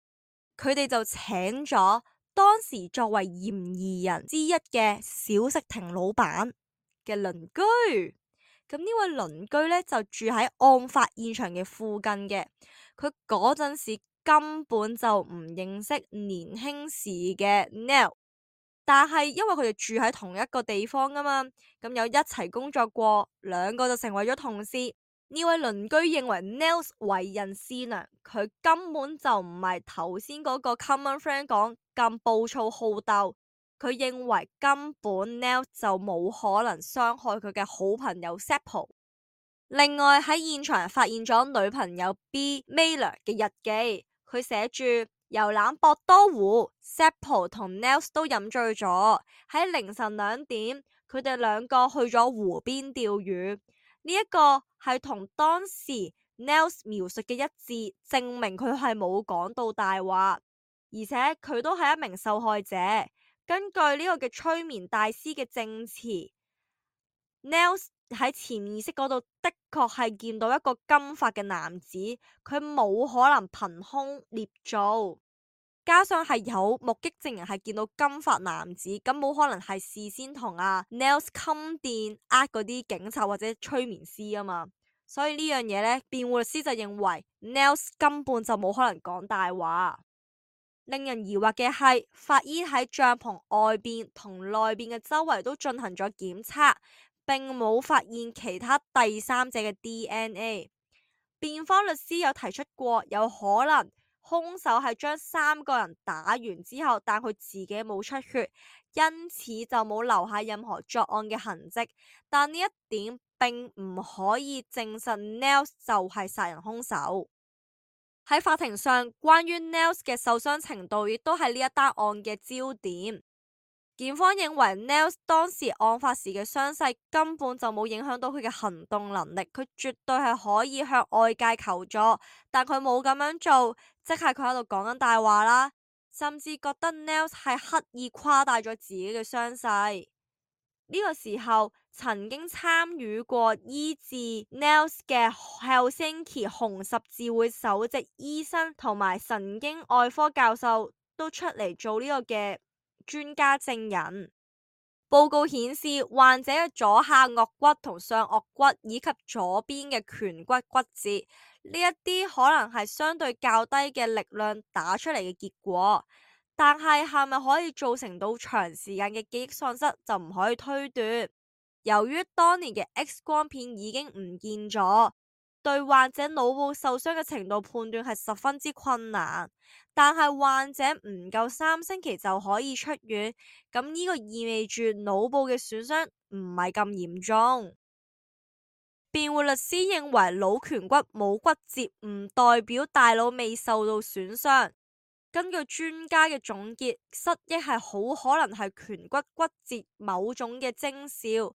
佢哋就請咗當時作為嫌疑人之一嘅小食亭老闆嘅鄰居。咁呢位鄰居呢，就住喺案發現場嘅附近嘅，佢嗰陣時根本就唔認識年輕時嘅 Neil，但係因為佢哋住喺同一個地方啊嘛，咁有一齊工作過，兩個就成為咗同事。呢位鄰居認為 Neil 為人善良，佢根本就唔係頭先嗰個 common friend 講咁暴躁好鬥。佢認為根本 Neil 就冇可能傷害佢嘅好朋友 Seppo。另外喺現場發現咗女朋友 B Mailer 嘅日記，佢寫住遊覽博多湖 ，Seppo 同 Nels 都飲醉咗，喺凌晨2點，佢哋兩個去咗湖邊釣魚。呢一個係同當時 Nels 描述嘅一致，證明佢係冇講到大話，而且佢都係一名受害者。根據呢個嘅催眠大師嘅證詞，Nels 喺潛意識嗰度的確係見到一個金髮嘅男子，佢冇可能憑空捏造，加上係有目擊證人係見到金髮男子，咁冇可能係事先同Nels 冚電嗰啲警察或者催眠師啊嘛，所以呢樣嘢呢，辯護律師就認為 Nels 根本就冇可能講大話。令人疑惑嘅係，法醫喺帳篷外邊同內邊嘅周圍都進行咗檢測，並冇發現其他第三者嘅 DNA。辯方律師有提出過，有可能兇手係將3個人打完之後，但佢自己冇出血，因此就冇留下任何作案嘅痕跡。但呢一點並唔可以證實 Nels 就係殺人兇手。喺法庭上，關於 Nels 嘅受傷程度亦都係呢一單案嘅焦點。檢方認為 Nels 當時案發時嘅傷勢根本就冇影響到佢嘅行動能力，佢絕對係可以向外界求助，但佢冇咁樣做，即係佢喺度講緊大話啦，甚至覺得 Nels 係刻意誇大咗自己嘅傷勢。呢個時候，曾經參與過醫治 Nels 嘅 Helsinki 紅十字會首席醫生同埋神經外科教授都出嚟做呢個嘅專家證人。報告顯示，患者嘅左下顎骨同上顎骨以及左邊嘅顴骨骨折，呢一啲可能係相對較低嘅力量打出嚟嘅結果。但係咪可以造成到長時間嘅記憶喪失，就唔可以推斷。由於當年嘅 X 光片已經唔見咗，對患者腦部受傷嘅程度判斷係十分之困難。但係患者唔夠3星期就可以出院，咁呢個意味住腦部嘅損傷唔係咁嚴重。辯護律師認為腦顴骨冇骨折唔代表大腦未受到損傷。根據專家嘅總結，失憶係好可能係顴骨骨折某種嘅徵兆，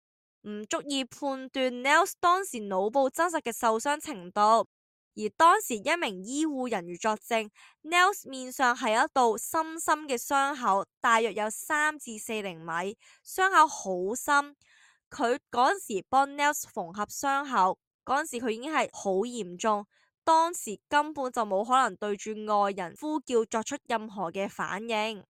唔足以判斷 Nels 當時腦部真實嘅受傷程度。而當時一名醫護人員作證 ，Nels 面上係一道深深嘅傷口，大約有3至4厘米，傷口好深。佢嗰陣時幫 Nels 縫合傷口，嗰陣時佢已經係好嚴重。當時根本就冇可能對住外人呼叫作出任何嘅反應。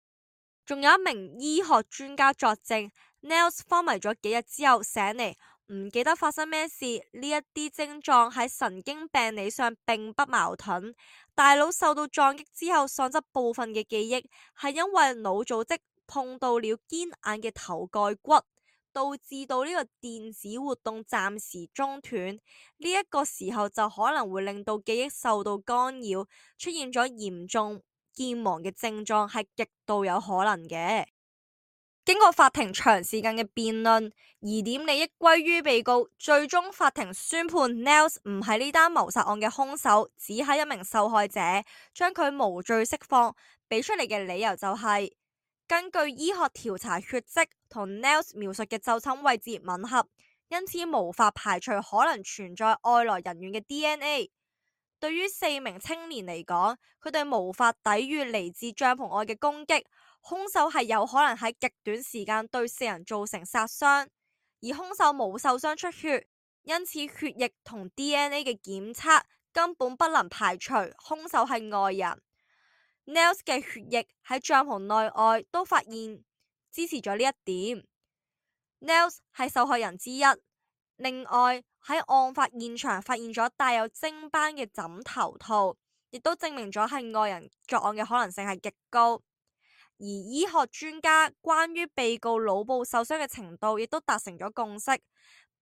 仲有一名醫學專家作證 ，Nels 昏迷咗幾日之後醒嚟，唔記得發生咩事。呢一啲症狀喺神經病理上並不矛盾。大腦受到撞擊之後喪失部分嘅記憶，係因為腦組織碰到了堅硬嘅頭蓋骨，導致到呢個電子活動暫時中斷，呢一個時候就可能會令到記憶受到干擾，出現咗嚴重健忘嘅症狀，係極度有可能嘅。經過法庭長時間嘅辯論，疑點利益歸於被告，最終法庭宣判 Nels 唔係呢單謀殺案嘅兇手，只係一名受害者，將佢無罪釋放。俾出嚟嘅理由就係，根據醫學調查，血跡同 Nels 描述嘅就診位置吻合，因此無法排除可能存在外來人員嘅 DNA。對於4名青年嚟講，佢哋無法抵禦嚟自帳篷外嘅攻擊，兇手係有可能喺極短時間對4人造成殺傷，而兇手冇受傷出血，因此血液同 DNA 嘅檢測根本不能排除兇手係外人。Nels 嘅血液喺帳篷內外都發現支持咗呢一點。Nels 係受害人之一。另外喺案發現場發現咗帶有精斑嘅枕頭套，亦都證明咗係外人作案嘅可能性係極高。而醫學專家關於被告腦部受傷嘅程度，亦都達成咗共識，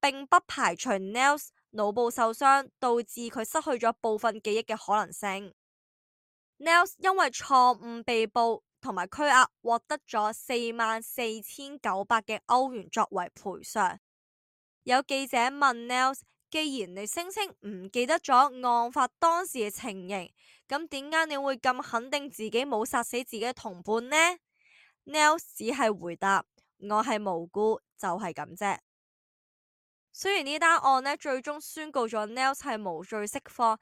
並不排除 Nels 腦部受傷導致佢失去咗部分記憶嘅可能性。Nels 因為錯誤被捕同埋拘押，獲得咗44,900嘅歐元作為賠償。有記者問 Nels， 既然你聲稱唔記得咗案發當時嘅情形，咁點解你會咁肯定自己冇殺死自己嘅同伴呢？ Nels 只係回答：我係無辜，就係咁啫。雖然呢單案呢最終宣告咗 Nels 係無罪釋放，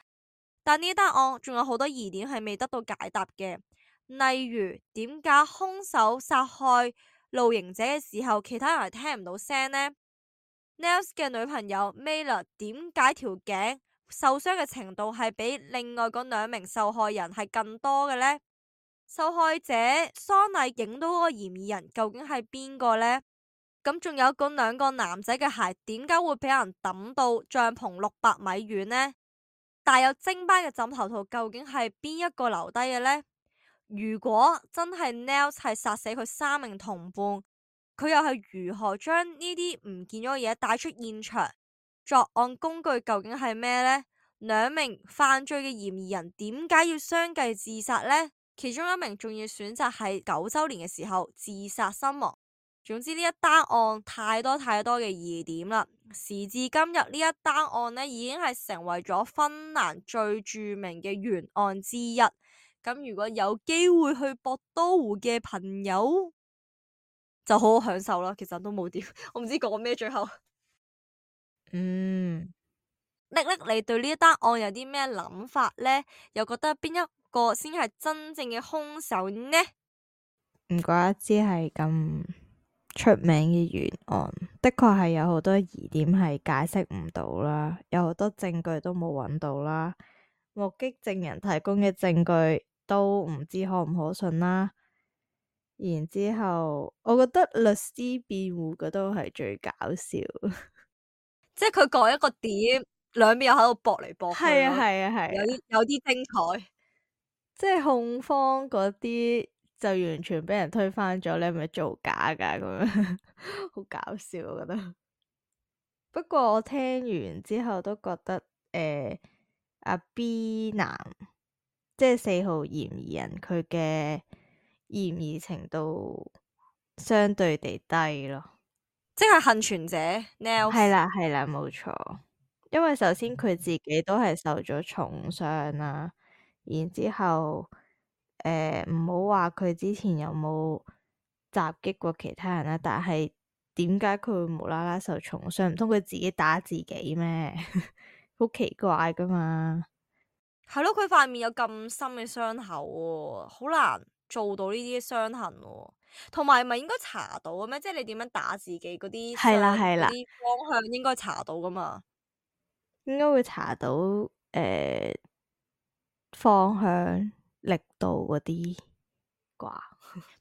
但呢單案仲有好多疑點係未得到解答嘅，例如點解兇手殺害露營者嘅時候，其他人係聽唔到聲呢？ Nels 嘅女朋友 Mela 點解條頸受傷嘅程度係比另外嗰兩名受害人係更多嘅呢？受害者喪禮影到嗰個嫌疑人究竟係邊個呢？咁仲有嗰兩個男仔嘅鞋點解會俾人抌到帳篷600米遠呢？帶有精斑嘅枕頭套究竟係邊一個留低嘅呢？如果真係 Nels 係殺死佢3名同伴，佢又係如何將呢啲唔見咗嘅嘢帶出現場？作案工具究竟係咩呢？兩名犯罪嘅嫌疑人點解要相繼自殺呢？其中一名仲要選擇喺9週年嘅時候自殺身亡。總之呢一單案太多嘅疑點啦。時至今日呢一單案呢已經係成為咗芬蘭最著名嘅懸案之一。咁如果有機會去博多湖嘅朋友，就好好享受啦。其實都冇點，我唔知講咩最後。瀝瀝，你對呢一單案有啲咩諗法呢？又覺得邊一個先係真正嘅兇手呢？唔怪得知係咁出名嘅懸案，的確係有好多疑點係解釋唔到啦，有好多證據都冇揾到啦，目擊證人提供嘅證據都唔知可唔可信啦。然之後，我覺得律師辯護嗰都係最搞笑，即係佢講一個點，兩邊又喺度駁嚟駁去，係啊係啊係啊，有啲精彩。即係控方嗰啲就完全俾人推翻咗，你係咪造假噶咁樣，好搞笑我覺得。不過我聽完之後都覺得，阿 B 男即係4號嫌疑人，佢嘅嫌疑程度相對地低咯。即係幸存者 Nels。係啦係啦，冇錯。因為首先佢自己都係受咗重傷啦，然之後唔好話佢之前有冇襲擊過其他人啦，但係點解佢會無啦啦受重傷？唔通佢自己打自己咩？好奇怪噶嘛。係咯，佢塊面有咁深嘅傷口喎，好難做到呢啲傷痕喎。同埋咪應該查到嘅咩？即係你點樣打自己嗰啲係啦係啦，嗰啲方向應該查到噶嘛？應該會查到方向、力度嗰啲啩。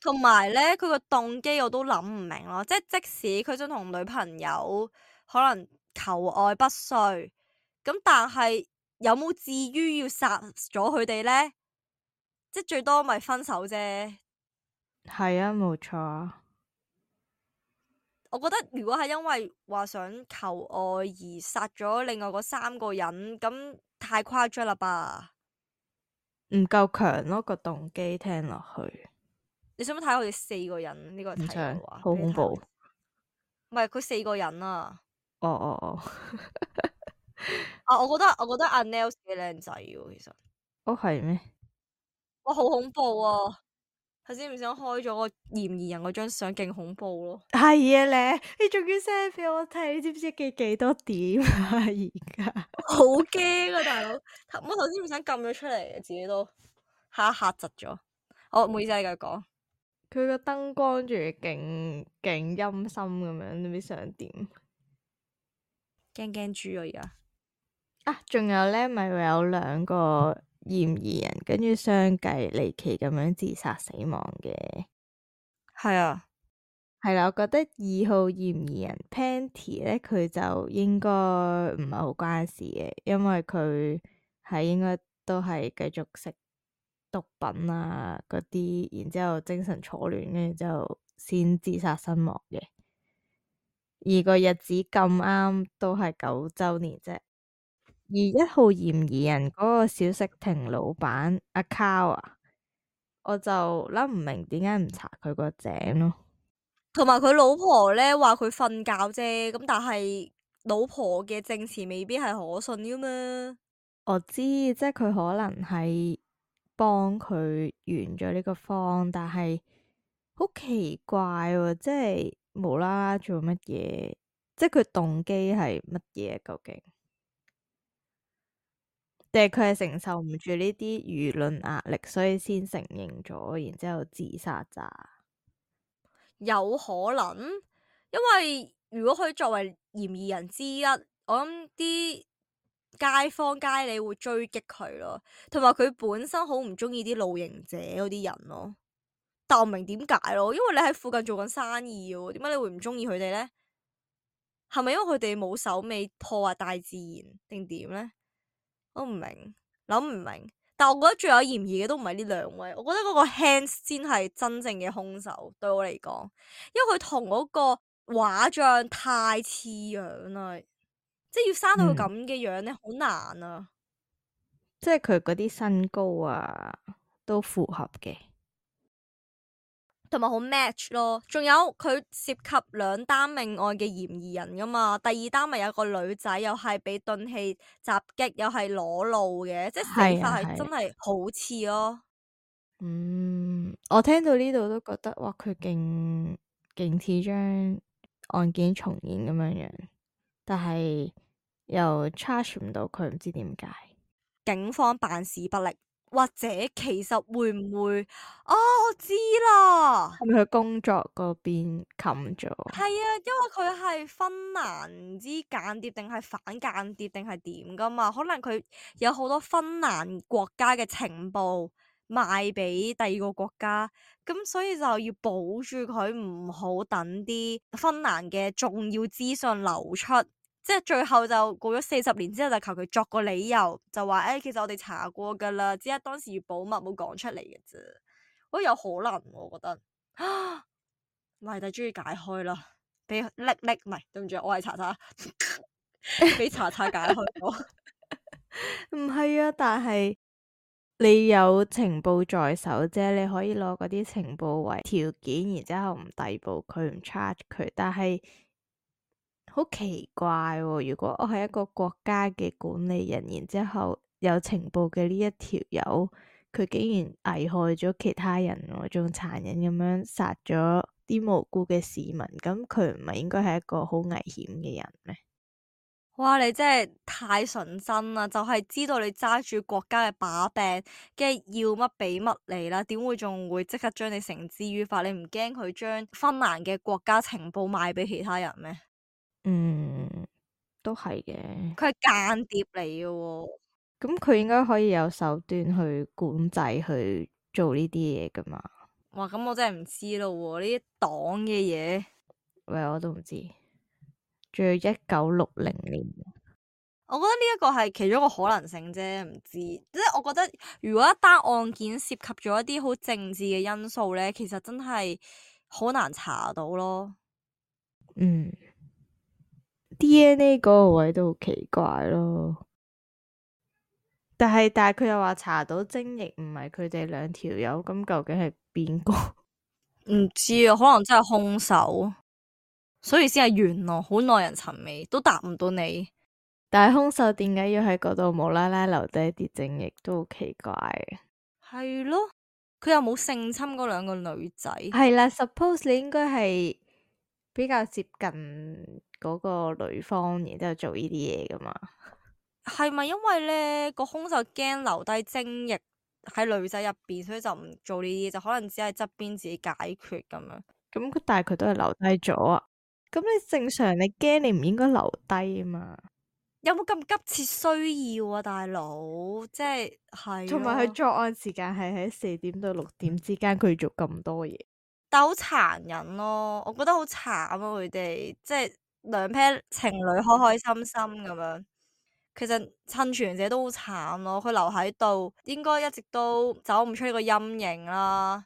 同埋咧，佢個動機我都諗唔明咯。即係即使佢想同女朋友可能求愛不遂，咁但係有冇至於要殺咗佢哋咧？即係最多咪分手啫。係啊，冇錯啊。我覺得如果係因為話想求愛而殺咗另外嗰3個人，咁太誇張啦吧？唔夠強咯，個動機聽落去。你想唔想睇佢哋4個人呢個題唔想，嘅話？好恐怖。唔係佢4個人啊！哦哦哦，啊，我覺得阿 Nels 幾靚仔喎，其實。哦係咩？哇，好恐怖啊！頭先唔想開咗個嫌疑人嗰張相，勁恐怖咯。係啊咧，你仲要 send 俾我睇，你知唔知幾多點啊？而家好驚啊，大佬！我頭先唔想撳咗出嚟，自己都嚇窒咗。我唔好意思，你繼續講。佢個燈光仲要勁陰森咁樣，你知想點？驚驚豬啊！而家啊，仲有咧，咪會有2個嫌疑人，跟住相繼離奇咁樣自殺死亡嘅。係啊，係啦，我覺得2號嫌疑人 Penty 咧，佢就應該唔係好關事嘅，因為佢係應該都係繼續食毒品啊嗰啲，然之後精神錯亂，跟住之後先自殺身亡嘅。而個日子咁啱都係9周年啫。而1號嫌疑人嗰個小食亭老闆阿 Cow 啊，我就諗唔明點解唔查佢個井咯。同埋佢老婆咧話佢瞓覺啫，咁但係老婆嘅證詞未必係可信噶嘛。我知，即係佢可能係幫佢圓咗呢個謊，但係好奇怪喎，即係無啦啦做乜嘢？即係佢動機係乜嘢？究竟？定係佢係承受唔住呢啲輿論壓力，所以先承認咗，然之後自殺咋？有可能，因為如果佢作為嫌疑人之一，我諗啲街坊街里會追擊佢咯，同埋佢本身好唔中意啲露營者嗰啲人咯。但我唔明點解咯，因為你喺附近做緊生意喎，點解你會唔中意佢哋呢？係咪因為佢哋冇手尾破壞大自然定點呢？我唔明，諗唔明。但我覺得最有嫌疑嘅都唔係呢兩位，我覺得嗰個 Hans 先係真正嘅兇手，對我嚟講，因為佢同嗰個畫像太似樣啦，即係要生到佢咁嘅樣咧，好難啊！即係佢嗰啲身高啊，都符合嘅。同埋好 match 咯，仲有佢涉及2單命案嘅嫌疑人噶嘛，第2單咪有個女仔又係俾鈍器襲擊，又係裸露嘅，即係死法係真係好似咯。我聽到呢度都覺得哇，佢勁似將案件重演咁樣樣，但係又 charge 唔到佢，唔知點解。警方辦事不力，或者其實會唔會？哦，我知啦，係咪佢工作嗰邊冚咗？係啊，因為佢係芬蘭唔知間諜定係反間諜定係點噶嘛，可能佢有好多芬蘭國家嘅情報賣俾第2個國家，咁所以就要保住佢，唔好等啲芬蘭嘅重要資訊流出。即係最後就過咗40年之後，就求其作個理由，就話其實我哋查過噶啦，只係當時要保密冇講出嚟嘅啫。我有可能，我覺得謎底終於解開啦，俾叻叻唔係，對唔住，我係查查，俾查查解開咗。唔係啊，但係你有情報在手啫，你可以攞嗰啲情報為條件，然之後唔逮捕佢，唔 charge 佢，但係好奇怪喎，如果我係一個國家嘅管理人，然之後有情報嘅呢一條友，佢竟然危害咗其他人喎，仲殘忍咁樣殺咗啲無辜嘅市民，咁佢唔係應該係一個好危險嘅人咩？哇！你真係太純真啦，就係知道你揸住國家嘅把柄，跟住要乜俾乜你啦，點會仲會即刻將你繩之於法？你唔驚佢將芬蘭嘅國家情報賣俾其他人咩？都係嘅。佢係間諜嚟嘅喎。咁佢應該可以有手段去管制去做呢啲嘢噶嘛？哇！咁我真係唔知咯喎，呢啲黨嘅嘢，喂，我都唔知。仲要1960年，我覺得呢一個係其中一個可能性啫，唔知。即係我覺得，如果一單案件涉及咗一啲好政治嘅因素咧，其實真係好難查到咯。DNA 嗰個位都好奇怪咯。但係佢又話查到精液唔係佢哋2條友，咁究竟係邊個？唔知啊，可能真係兇手，所以先係懸咯，好耐人尋味，都答唔到你。但係兇手點解要喺嗰度無啦啦留低啲精液，都好奇怪嘅。係咯，佢又冇性侵嗰2個女仔。係啦，suppose 你應該係比較接近嗰個女方，然之後做呢啲嘢噶嘛？係咪因為咧個兇手驚留低精液喺女仔入邊，所以就唔做呢啲，就可能只係側邊自己解決咁樣。咁但係佢都係留低咗啊！咁你正常你驚你唔應該留低啊嘛？有冇咁急切需要啊，大佬？即係同埋佢作案時間係喺4點到6點之間，佢做咁多嘢，但好殘忍咯，我覺得好慘啊！佢哋即係2 pair 情侶開開心心咁樣，其實幸存者都好慘咯，佢留喺度，應該一直都走唔出呢個陰影啦，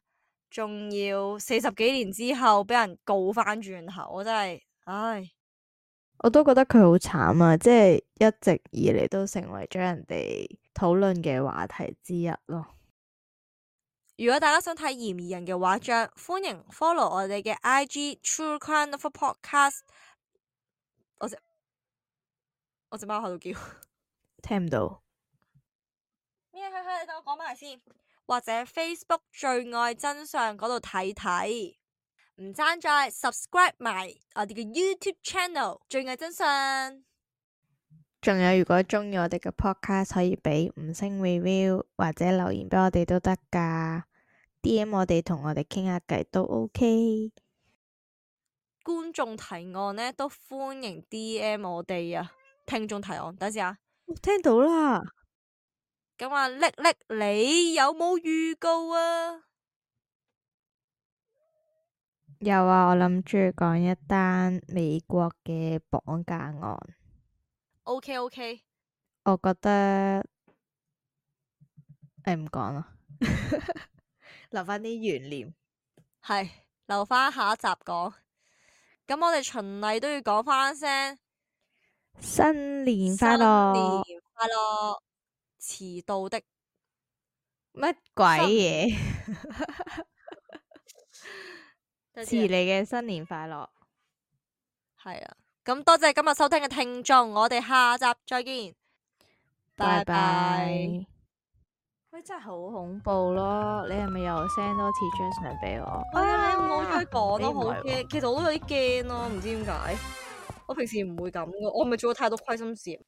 仲要40幾年之後俾人告翻轉頭，我真係，唉，我都覺得佢好慘啊，即係一直以嚟都成為咗人哋討論嘅話題之一咯。如果大家想睇嫌疑人嘅畫像，歡迎 follow 我哋嘅 IG True Crime Lover Podcast。我隻貓喺度叫，聽唔到。咩？你等我講埋先。或者 Facebook 罪愛真相嗰度睇睇，唔爭再 subscribe 埋我哋嘅 YouTube channel 罪愛真相。仲有，如果鍾意我哋嘅 podcast，可以俾5星 review 或者留言俾我哋都得㗎。DM 我哋同我哋傾下偈都 OK。觀眾提案呢都歡迎 DM 我哋啊。聽眾提案，等陣啊。聽到啦。咁啊，叻，你有冇預告啊？有啊，我諗住講一單美國嘅綁架案。OK，我覺得唔講啦，留翻啲懸念。係留翻下一集講。咁我哋循例都要講翻聲新年快樂！新年快樂！遲到的乜鬼嘢？遲新嚟嘅新年快樂！係啊，咁多謝今日收聽嘅聽眾，我哋下集再見，拜拜。喂，真係好恐怖咯！你係咪又 send 多次張相俾我？係啊，你唔好再講咯，你唔係好驚。其實我都有啲驚咯，唔知點解。我平時唔會咁噶，我係咪做咗太多虧心事？